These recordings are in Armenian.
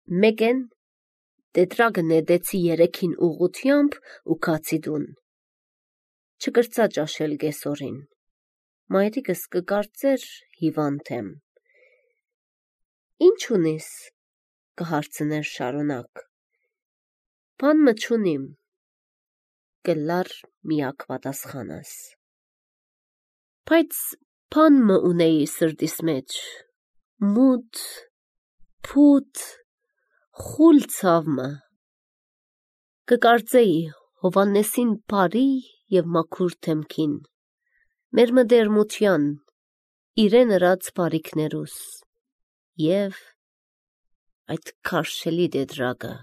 Մեկեն տետրագը նետեցի երեքին ուղղությամբ ու կացի դուն։ Չկրծա ճաշել գեսորին։ Մայրիկս կկարծեր հիվանդ եմ։ Ինչ ունիս, կհարցներ շարունակ։ Բան մը չունիմ, կլար միակ պատասխանս։ Բայց բան մը ունեի սրտիս մեջ, մութ, փութ, խուլ ցավմը։ Կկարծեի Հովաննեսին բարի և մաքուր թեմքին, մեր մդերմության, իրեն ըրած բարիքներուս, և այդ քարշելի տետրագը։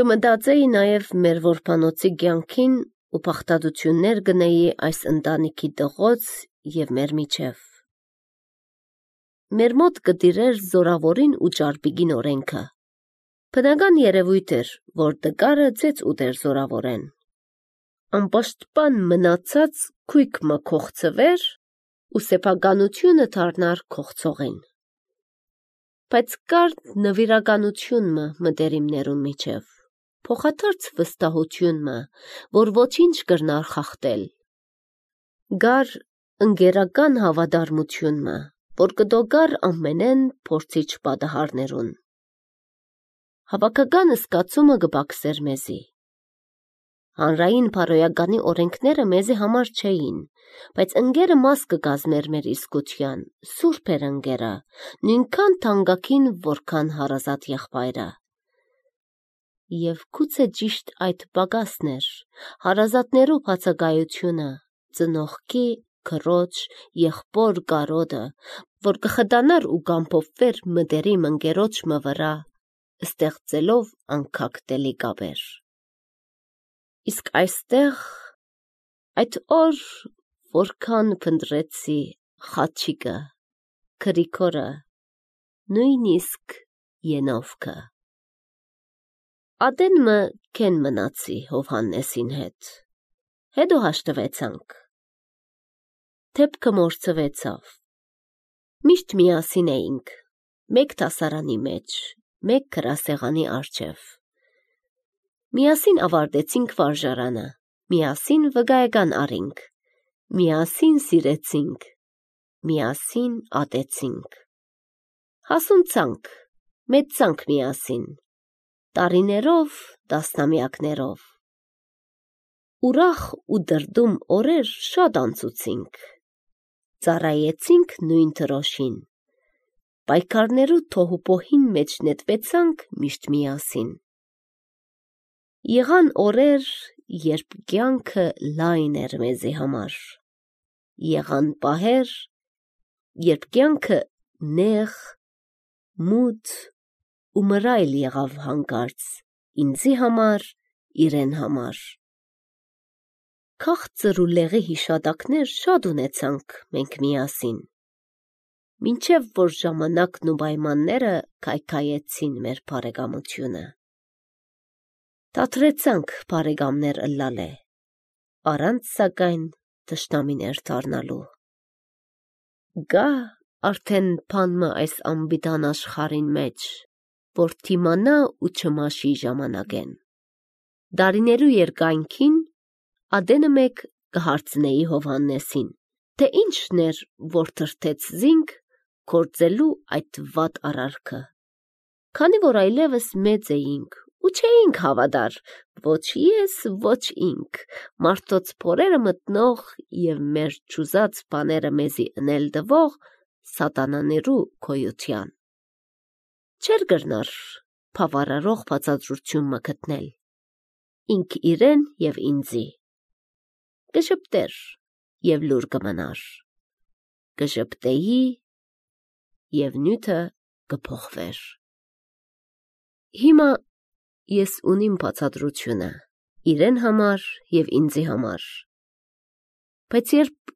Կմտածեի նաև մեր որբանոցի կյանքին ու փախտadություններ գնեի այս ընտանիքի տղոց և մեր միջև։ Մեր մոտ կտիրեր զորավորին ու ճարպիկին օրենքը։ Բնական երևույթ էր, որ տկարը ծեծ ուտեր զորավորեն։ Անպաշտպան մնացած քույք մը կողցվեր ու սեփականությունը դառնար կողցողին։ Բայց կար նվիրականություն մը մտերիմներուն միջև, փոխադարձ վստահություն մը, որ ոչինչ կրնար խախտել։ Գար ընկերական հավատարմություն մը, որ կդոգար ամենեն փորձիչ պատահարներուն։ Հավաքական զգացումը կբաքսեր մեզի։ Հանրային բարոյականի օրենքները մեզի համար չէին, բայց ընկերը մաս կկազմեր մեր իսկության, սուրբ էր ընկերը, նույնքան թանկագին, որքան հարազատ եղբայրը։ Եվ գուցե ճիշտ այդ պակասն էր, հարազատներու բացակայությունը, ծնողքի, քրոջ, եղբոր կարոտը, որ կխտանար ու կամփոփվեր մտերիմ ընկերոջ մը վրա, ստեղծելով անքակտելի կապեր։ Իսկ այստեղ, այդ օր, որքան փնտրեցի խաչիկը, Գրիգորը, նույնիսկ Ենովքը։ Ատեն մը կեն մնացի Հովհաննեսին հետ, հետո հաշտվեցանք։ Դեպքը մորցվեցավ։ Միշտ միասին էինք, մեկ դասարանի մեջ, մեկ գրասեղանի առջև։ Միասին ավարտեցինք վարժարանը, միասին վկայական առինք, միասին սիրեցինք, միասին ատեցինք։ Հասունցանք, մեծանք միասին, տարիներով, տասնամյակներով։ Ուրախ ու դրդում օրեր շատ անցուցինք, ծառայեցինք նույն դրոշին, պայքարներու թոհուբոհին մեջ նետվեցանք միշտ միասին։ Եղան օրեր, երբ կյանքը լայն էր մեզի համար, եղան պահեր, երբ կյանքը նեղ, մութ ու մռայլ եղավ հանկարծ ինձի համար, իրեն համար։ Քաղցր ու լեղի հիշատակներ շատ ունեցանք մենք միասին, մինչև որ ժամանակն ու պայմանները քայքայեցին մեր բարեկամությունը։ Դադրեցանք բարեկամներ ըլլալը, առանց սակայն թշնամիներ դառնալու։ Գա արդեն բան մը այս անպիտան աշխարհին մեջ, որ թիմանա ու չմաշի ժամանակեն։ Դարիներու երկայնքին ադենը մեկ կհարցնեի Հովհաննեսին, թե ինչն էր, որ թրթեց զինք գործելու այդ վատ արարքը։ Քանի որ այլևս մեծ էինք ու չէինք հավատար, ոչ ես, ոչ ինք, մարդոց փորերը մտնող և մեր ճուզած բաները մեզի ընել տվող սատանաներու գոյության։ Չէր կրնար բավարարող բացատրություն մը գտնել, ինք իրեն և ինձի։ Կժպտեր և լուր կմնար, կժպտեի և նյութը կփոխվեր։ Հիմա ես ունիմ բացատրությունը, իրեն համար և ինձի համար, բայց երբ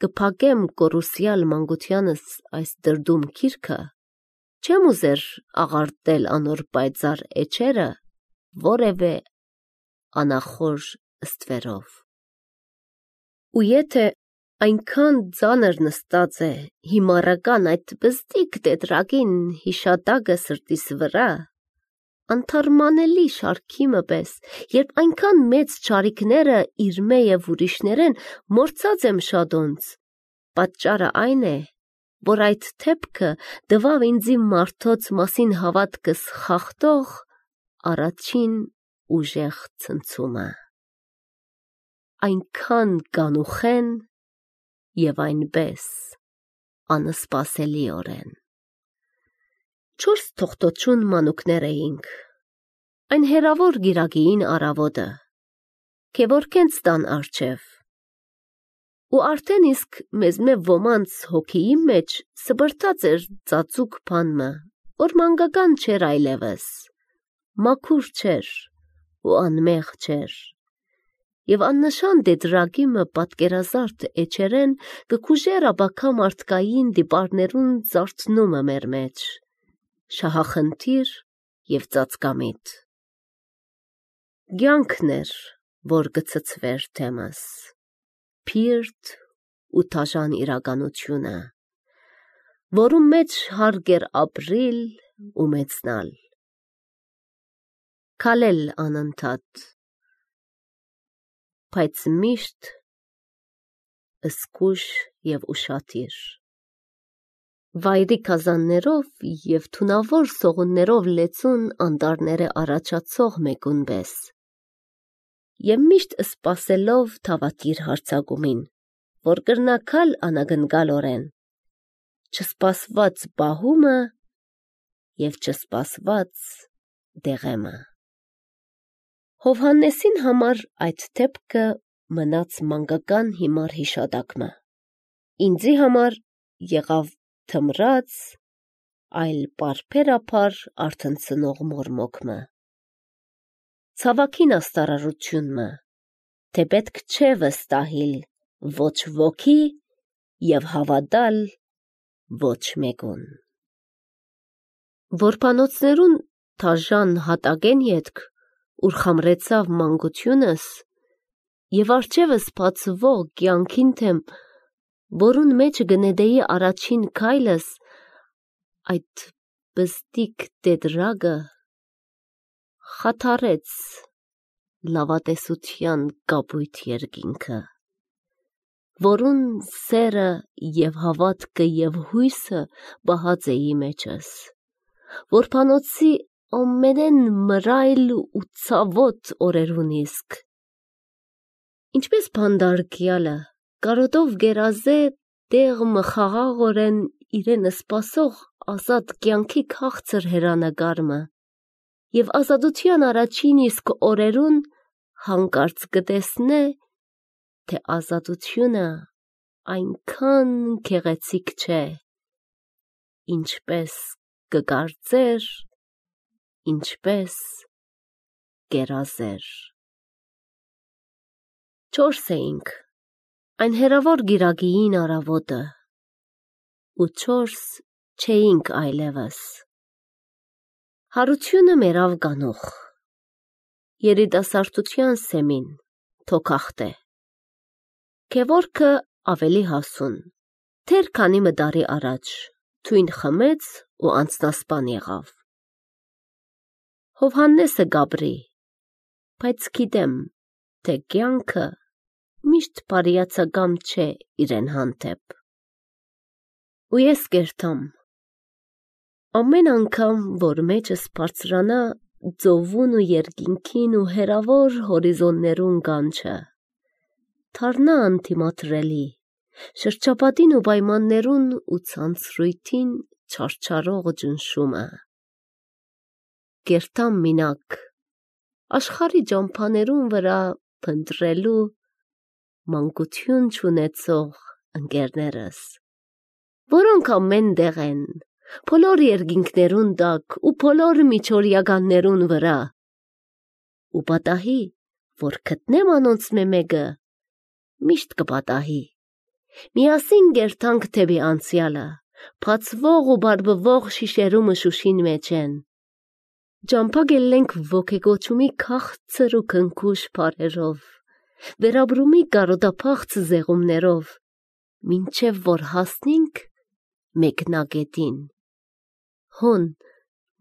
կփակեմ կորուսյալ մանկությանս այս դրդում գիրքը, չեմ ուզեր աղարտել անոր պայծառ էջերը որևէ անախորժ ստվերով։ Ու եթե Այնքան ծանր նստած է հիմարական այդ բզդիկ տետրակին հիշատակը սրտիս վրա, անթարմանելի շարքիմը պես, երբ այնքան մեծ չարիքները իր մե և ուրիշներեն մորցած եմ շադոնց, պատճառը այն է, որ այդ թեպքը դվավ ինձի մարդոց մասին հավատքս խախտող առաջին ուժեղ ցնցումը, այնքան կանուխեն և այնպես անսպասելիորեն։ 4 թողտոչուն մանուկներ էինք, այն հեռավոր գիրագիին առավոտը, քևորքենց տան առջև, ու արդեն իսկ մեզմե ոմանց հոգիի մեջ սբրտած էր ծածուկ բանմը, որ մանկական չէր այլևս, մաքուր չէր ու անմեղ չէր, և աննշան տետրակիմը պատկերազարդ էջերեն կկուժեր աբակա մարդկային դիպարներուն զարթնումը մեր մեջ, շահախնդիր և ծածկամիտ։ Կյանքն էր, որ կցցվեր թեմս, փիրտ ու թաժան իրականությունը, որում մեջ հարկ էր ապրիլ ու մեծնալ, քալել անընդհատ, բայց միշտ զգույշ և ուշադիր, վայրի գազաններով և թունավոր սողուններով լեցուն անտառները առաջացող մեկուն պես, և միշտ սպասելով թավակիր հարձակումին, որ կրնակալ անագնկալորեն, չսպասված պահումը և չսպասված դեղեմը։ Հովհաննեսին համար այդ թեպքը մնաց մանկական հիմար հիշատակը, ինձի համար եղավ թմրած, այլ պարբերաբար արթնցնող մորմոքմը, ցավակին աստարարությունմը, թե պետք չէ վստահիլ ոչ ոքի և հավատալ ոչ մեկուն։ Որբանոցներուն թաժան հատակեն ետք, ուր խամրեցավ մանկությունս, և արջևս բացվող կյանքին թեմ, որուն մեջ գնեդեի առաջին քայլս, այդ բզդիկ տետրակը խաթարեց լավատեսության կապույտ երկինքը, որուն սերը և հավատքը և հույսը պահած էի մեջս, որբանոցի ամենեն մռայլ ու ցավոտ օրերուն իսկ, ինչպես բանդարգյալը կարոտով գերազե տեղը խաղաղորեն իրեն սպասող ազատ կյանքի քաղցր հեռանկարը, և ազատության առաջին իսկ օրերուն հանկարծ կտեսնե, թե ազատությունը այնքան գեղեցիկ չէ, ինչպես կկարծեր, ինչպես կերազեր։ 4 էինք, այն հեռավոր գիրագիին առավոտը, ու 4 չէինք այլևս։ Հարությունը մերավ կանուխ, երիտասարդության սեմին, թոքախտե, քևորքը ավելի հասուն, թեր քանի մտարի առաջ, թույն խմեց ու անցնասպան եղավ։ Հովհաննեսը գաբրի, բայց գիտեմ, թե կյանքը միշտ բարիացակամ չէ իրեն հանդեպ։ Ու ես կերտամ, ամեն անգամ, որ մեջս բարձրանա ծովուն ու երկինքին ու հեռավոր հորիզոններուն կանչը, դառնա անթիմադրելի, շրջապատին ու պայմաններուն ու ցանցրույթին չարչարող ճնշումը, կերտամ մինակ աշխարհի ճամփաներուն վրա փնտրելու մանկություն չունեցող ընկերներս, որոնք ամեն տեղ են, բոլոր երկինքներուն տակ ու բոլոր միջօրյականներուն վրա, ու պատահի, որ գտնեմ անոնցմե մեկը, միշտ կպատահի, միասին կերտանք դեպի անցյալը, բացվող ու բարբվող շիշերու մշուշին մեջեն, ճամփա գելենք ոգեգոճումի քաղցր ու քնքուշ բառերով, վերաբրումի կարոտափախց զեղումներով, մինչև որ հասնենք մեկնագետին։ Հոն,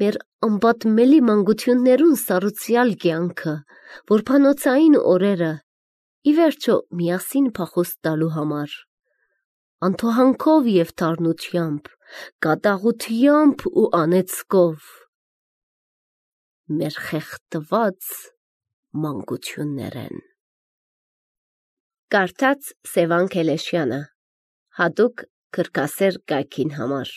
մեր ամբատմելի մանկություններուն սառուցյալ կյանքը, որբանոցային օրերը, ի վերջո միասին փախուստ տալու համար, անթոհանքով և թարնությամբ, կատաղությամբ ու անեծքով, մեր խեղդված մանկություններ են։ Կարդաց Սևան Քելեշյանը, հատուկ քրքասեր կայքին համար։